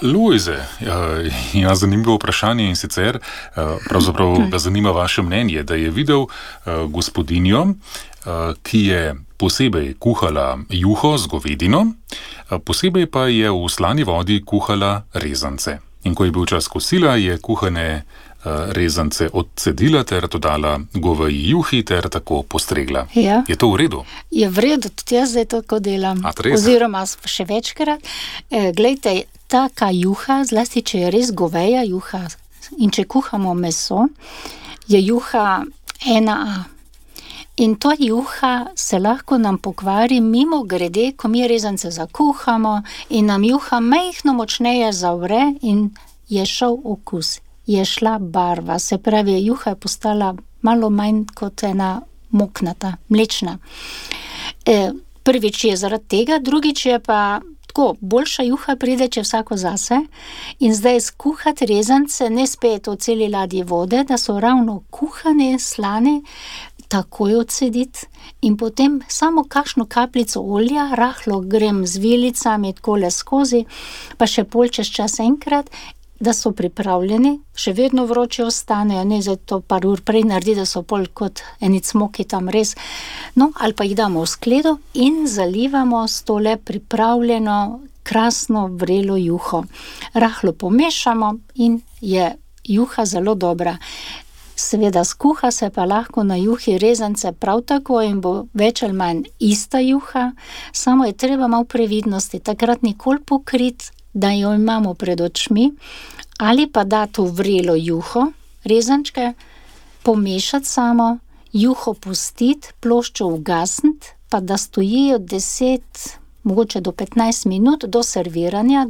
Lojze, ja, zanimivo vprašanje in sicer, pravzaprav ga zanima vaše mnenje, da je videl gospodinjo, ki je posebej kuhala juho z govedino, posebej pa je v slani vodi kuhala rezance. In ko je bil čas kosila, je kuhane rezance odcedila ter dodala goveji juhi ter tako postregla. Ja. Je to v redu? Je v redu, tudi jaz zdaj tako delam. Oziroma še večkrat. Glejte, taka juha, zlasti če je res goveja juha in če kuhamo meso, je juha 1A. In to juha se lahko nam pokvari mimo grede, ko mi rezance zakuhamo in nam juha majhno močneje zavre in je šel okus. Je šla barva, se pravi, juha je postala malo manj kot ena moknata, mlečna. Prvič je zaradi tega, drugič je pa tako, boljša juha pride, če vsako zase. In zdaj skuhati rezance, ne spet v celi ladji vode, da so ravno kuhane, slane, takoj odcediti in potem samo kakšno kapljico olja, rahlo grem z vilicami takole skozi, pa še pol čez čas enkrat, da so pripravljeni, še vedno vroče ostanejo, ne za to par ur prej naredi, da so pol kot eni cmoki tam res. No, ali pa jih damo v skledo in zalivamo s tole pripravljeno, krasno vrelo juho. Rahlo pomešamo in je juha zelo dobra. Seveda skuha se pa lahko na juhi rezance prav tako in bo več ali manj ista juha, samo je treba malo previdnosti, takrat nikoli pokriti, da jo imamo pred očmi, ali pa dati v vrelo juho, rezančke, pomešati samo, juho pustiti, ploščo ugasniti, pa da stojijo 10, mogoče do 15 minut do serviranja,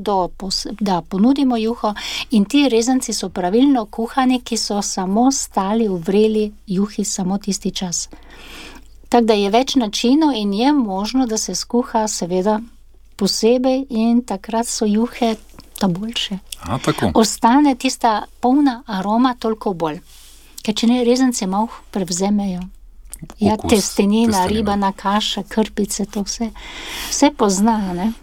da ponudimo juho in ti rezanci so pravilno kuhani, ki so samo stali v vreli juhi samo tisti čas. Tako da je več načinov in je možno, da se skuha seveda posebej in takrat so juhe ta boljše. Tako. Ostane tista polna aroma toliko bolj. Ker če ne, rezance malo prevzemejo. Ja, testenina, ribana kaša, krpice, to vse pozna, ne?